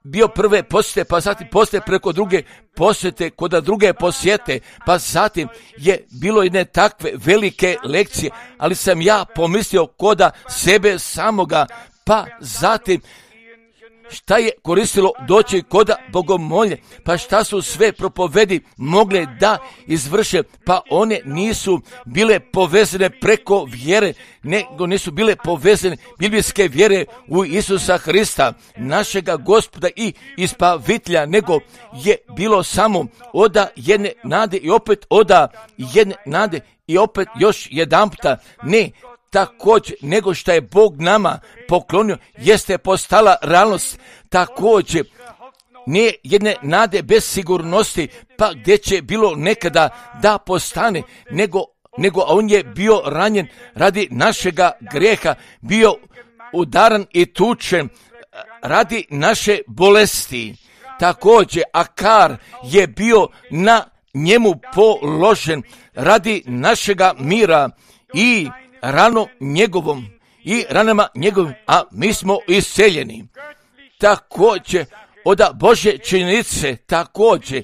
bio prve posjete, pa zatim poslije preko druge posjete, koda druge posjete, pa zatim je bilo jedne takve velike lekcije, ali sam ja pomislio koda sebe samoga, pa zatim šta je koristilo doći koda bogomolje, pa šta su sve propovedi mogle da izvrše, pa one nisu bile povezane preko vjere, nego nisu bile povezane biblijske vjere u Isusa Hrista, našega Gospoda i Ispavitelja, nego je bilo samo oda jedne nade i opet oda jedne nade i opet još jedanputa ne, također nego što je Bog nama poklonio jeste postala realnost, također nije jedne nade bez sigurnosti, pa gdje će bilo nekada da postane, nego, nego on je bio ranjen radi našega grijeha, bio udaran i tučen radi naše bolesti. Također Akar je bio na njemu položen radi našega mira i rano njegovom i ranama njegovim, a mi smo isceljeni. Također od Božje činjenice, također,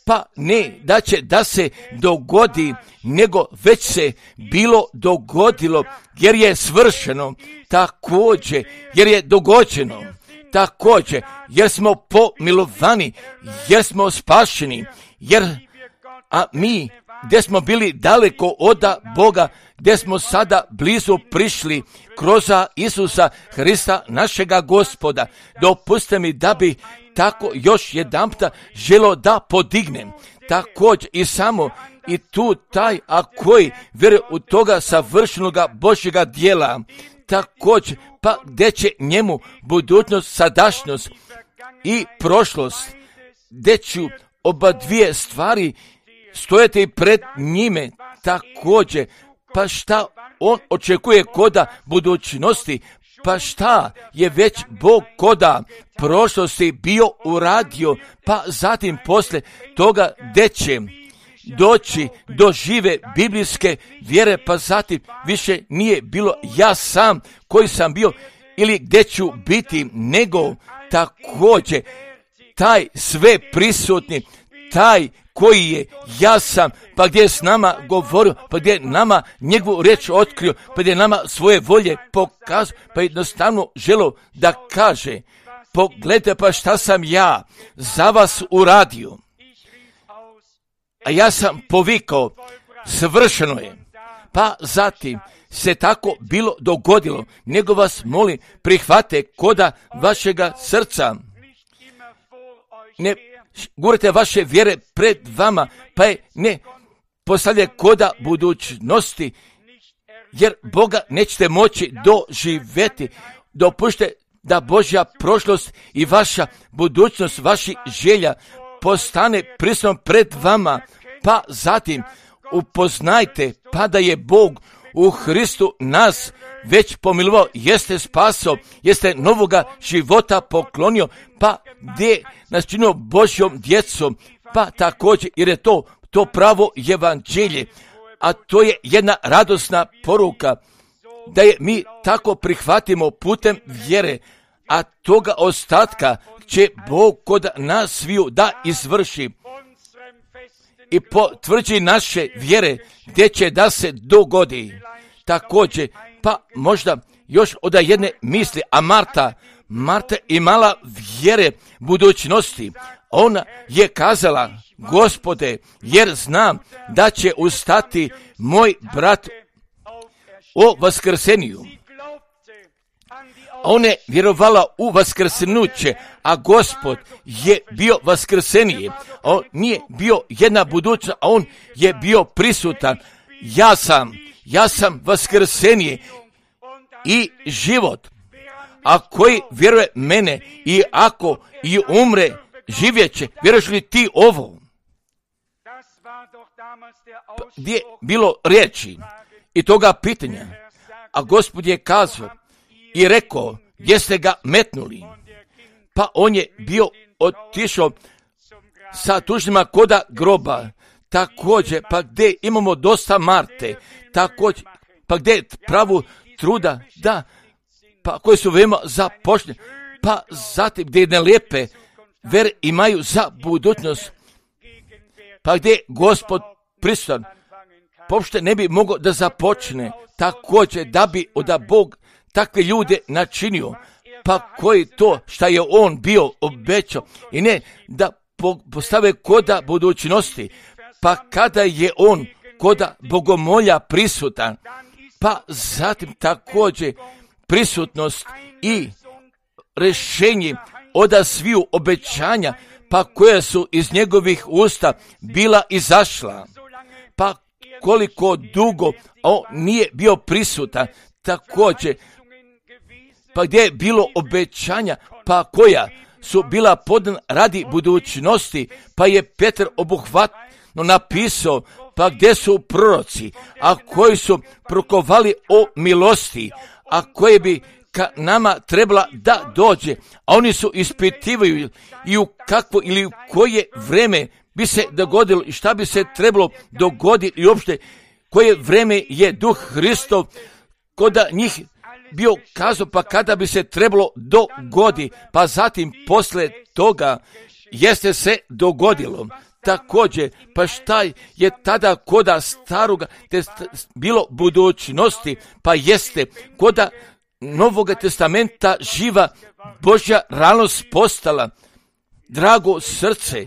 pa ne da će da se dogodi, nego već se bilo dogodilo, jer je svršeno, također, jer je dogođeno, također, jer smo pomilovani, jer smo spašeni, jer, a mi, gdje smo bili daleko od Boga, gdje smo sada blizu prišli kroz Isusa Hrista, našega Gospoda. Dopustite mi da bi tako još jedanputa želo da podignem. Također i samo i tu taj, a koji vjeruje u toga savršenoga Božjega dijela, također, pa gdje će njemu budućnost, sadašnjost i prošlost, gdje ću oba dvije stvari stojati pred njime, također, pa šta on očekuje koda budućnosti, pa šta je već Bog koda prošlosti bio uradio, pa zatim poslije toga gdje će doći do žive biblijske vjere, pa zatim više nije bilo ja sam koji sam bio ili gdje ću biti, nego također taj sve prisutni, taj koji je ja sam, pa gdje je s nama govorio, pa gdje je nama njegovu riječ otkrio, pa gdje je nama svoje volje pokazao, pa jednostavno želo da kaže, pogledajte pa šta sam ja za vas uradio. A ja sam povikao, svršeno je. Pa zatim se tako bilo dogodilo, nego vas molim, prihvate koda vašega srca. Ne gurite vaše vjere pred vama, pa je ne postavlja koda budućnosti, jer Boga nećete moći doživjeti. Dopušte da Božja prošlost i vaša budućnost, vaši želja postane prisutno pred vama, pa zatim upoznajte pa da je Bog u Hristu nas već pomilovao, jeste spasao, jeste novoga života poklonio, pa gdje nas činio Božjom djecom, pa također jer je to to pravo evanđelje, a to je jedna radosna poruka, da je mi tako prihvatimo putem vjere, a toga ostatka će Bog kod nas sviju da izvrši i potvrđi naše vjere gdje će da se dogodi. Također, pa možda još od jedne misli, a Marta, Marta imala vjere budućnosti. Ona je kazala, Gospode, jer znam da će ustati moj brat o vaskrseniju. Ona je vjerovala u vaskrsenuće, a Gospod je bio vaskrsenije. On nije bio jedna budućnost, a on je bio prisutan. Ja sam, ja sam vaskrsenije i život. A koji vjeruje mene i ako i umre, živjet će. Vjeruješ li ti ovo? Gdje je bilo riječi i toga pitanja, a Gospod je kazao i rekao, gdje ste ga metnuli? Pa on je bio otišao sa tužnima koda groba. Također, pa gdje imamo dosta Marte, također, pa gdje je pravu truda, da, pa koji su veoma započne, pa zatim gdje ne lijepe ver imaju za budućnost, pa gdje je Gospod prisutan, pošto ne bi mogao da započne, također da bi da Bog takve ljude načinio, pa koji to šta je on bio obećao i ne da postave koda budućnosti, pa kada je on koda bogomolja prisutan, pa zatim također prisutnost i rješenje od sviju obećanja, pa koja su iz njegovih usta bila izašla, pa koliko dugo on nije bio prisutan, također, pa gdje je bilo obećanja, pa koja su bila podana radi budućnosti, pa je Petar obuhvatno napisao, pa gdje su proroci, a koji su prokovali o milosti, a koje bi ka nama trebala da dođe, a oni su ispitivaju i u kakvo ili u koje vreme bi se dogodilo i šta bi se trebalo dogoditi i uopšte koje vreme je Duh Hristov koda njih bio kazao, pa kada bi se trebalo dogodi, pa zatim posle toga jeste se dogodilo. Također, pa šta je tada koda staroga te bilo budućnosti, pa jeste koda Novoga testamenta živa Božja realnost postala. Drago srce,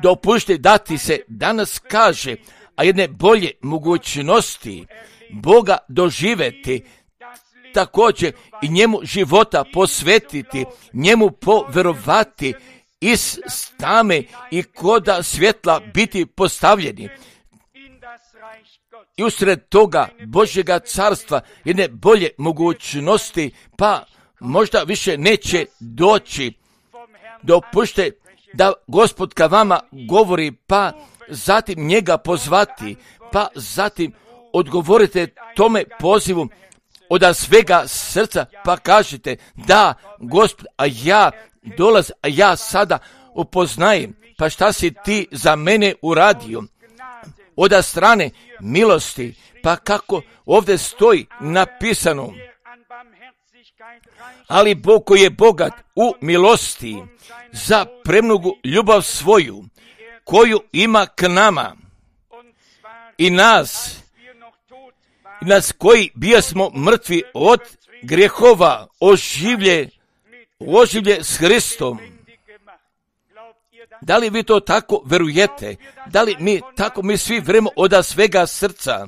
dopušte da ti se danas kaže, a jedne bolje mogućnosti Boga doživeti, također i njemu života posvetiti, njemu poverovati, iz tame i koda svjetla biti postavljeni. I usred toga Božjega carstva jedne bolje mogućnosti, pa možda više neće doći. Dopušte da Gospod ka vama govori, pa zatim njega pozvati, pa zatim odgovorite tome pozivu od svega srca, pa kažete, da, Gospod, a ja dolaz, a ja sada upoznajem, pa šta si ti za mene uradio? Od strane milosti, pa kako ovdje stoji napisano, ali Bog koji je bogat u milosti za premnogu ljubav svoju, koju ima k nama i nas, i nas koji bijasmo mrtvi od grijehova, oživlje, oživlje s Hristom. Da li vi to tako verujete? Da li mi tako mi svi vremo od svega srca?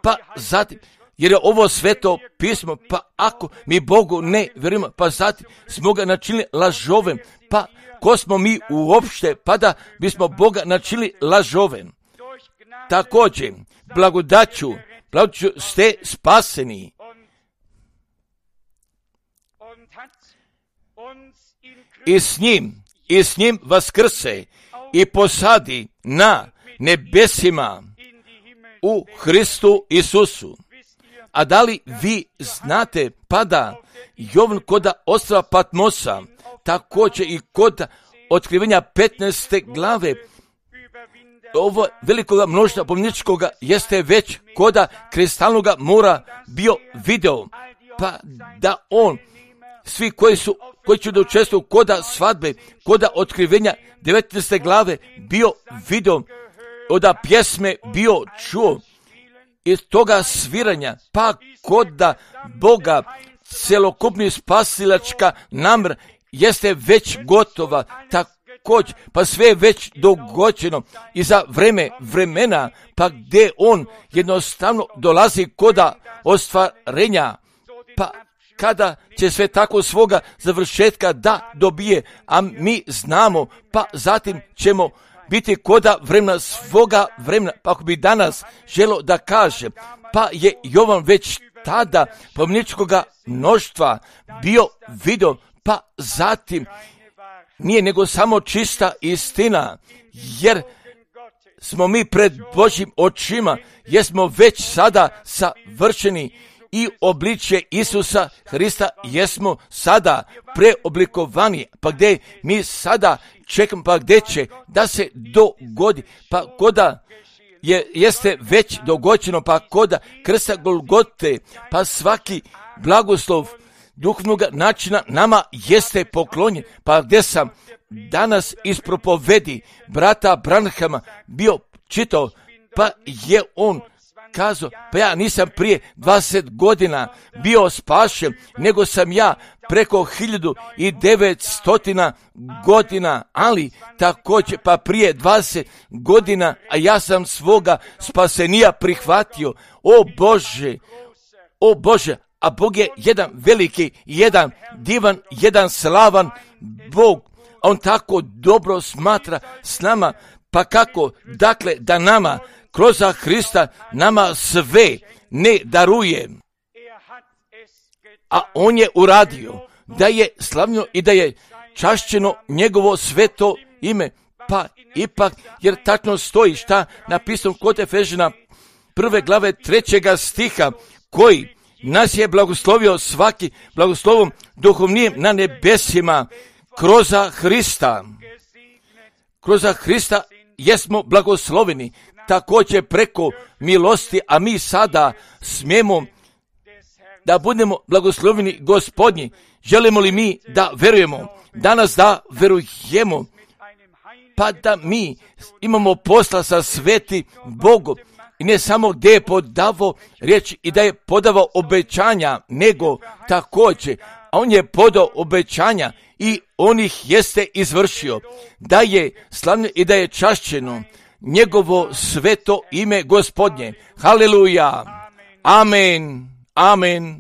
Pa zatim, jer je ovo sveto pismo, pa ako mi Bogu ne verujemo, pa zatim smo ga načinili lažovem, pa ko smo mi uopšte, pa da bismo Boga načinili lažovem? Također, blagodaću, blagodaću ste spaseni. I s njim, i s njim vaskrse i posadi na nebesima u Hristu Isusu. A da li vi znate, pada Jovan koda ostrva Patmosa, također i kod otkrivenja petnaeste glave, ovo velikoga mnoštva pomničkoga jeste već koda kristalnoga mora bio video, pa da on, svi koji su, koji će da učestvuju koda svadbe, koda otkrivenja devetnaeste glave bio video, oda pjesme bio čuo, iz toga sviranja, pa koda Boga celokupni spasilačka namr jeste već gotova, također, pa sve je već dogođeno i za vreme vremena, pa gdje on jednostavno dolazi koda ostvarenja, pa kada će sve tako svoga završetka da dobije, a mi znamo, pa zatim ćemo biti koda vremena svoga vremena, pa ako bi danas želo da kaže, pa je Jovan već tada pomničkoga mnoštva bio video, pa zatim nije nego samo čista istina, jer smo mi pred Božjim očima, jer smo već sada savršeni i obličje Isusa Hrista jesmo sada preoblikovani, pa gdje mi sada čekamo, pa gdje će da se dogodi, pa koda je, jeste već dogođeno, pa koda krsta Golgote, pa svaki blagoslov duhovnog načina nama jeste poklonjen, pa gdje sam danas iz propovedi brata Branhama bio čitao, pa je on kazao, pa ja nisam prije dvadeset godina bio spašen, nego sam ja preko hiljadu i devetstotina godina, ali također pa prije dvadeset godina, a ja sam svoga spasenija prihvatio. O Bože, o Bože, a Bog je jedan veliki, jedan divan, jedan slavan Bog. On tako dobro smatra s nama, pa kako, dakle, da nama kroz Hrista nama sve ne daruje, a on je uradio da je slavno i da je čašćeno njegovo sveto ime, pa ipak, jer tačno stoji šta napisano kod Efežana prve glave trećega stiha, koji nas je blagoslovio svaki blagoslovom duhovnijem na nebesima kroz Hrista. Kroz Hrista jesmo blagosloveni, također preko milosti, a mi sada smijemo da budemo blagosloveni Gospodnji. Želimo li mi da verujemo, danas da verujemo, pa da mi imamo posla sa sveti Bogom, i ne samo gdje je podavao riječ i da je podavao obećanja, nego također, a on je podao obećanja i on ih jeste izvršio, da je slavno i da je čašćeno njegovo sveto ime Gospodnje. Haleluja. Amen. Amen.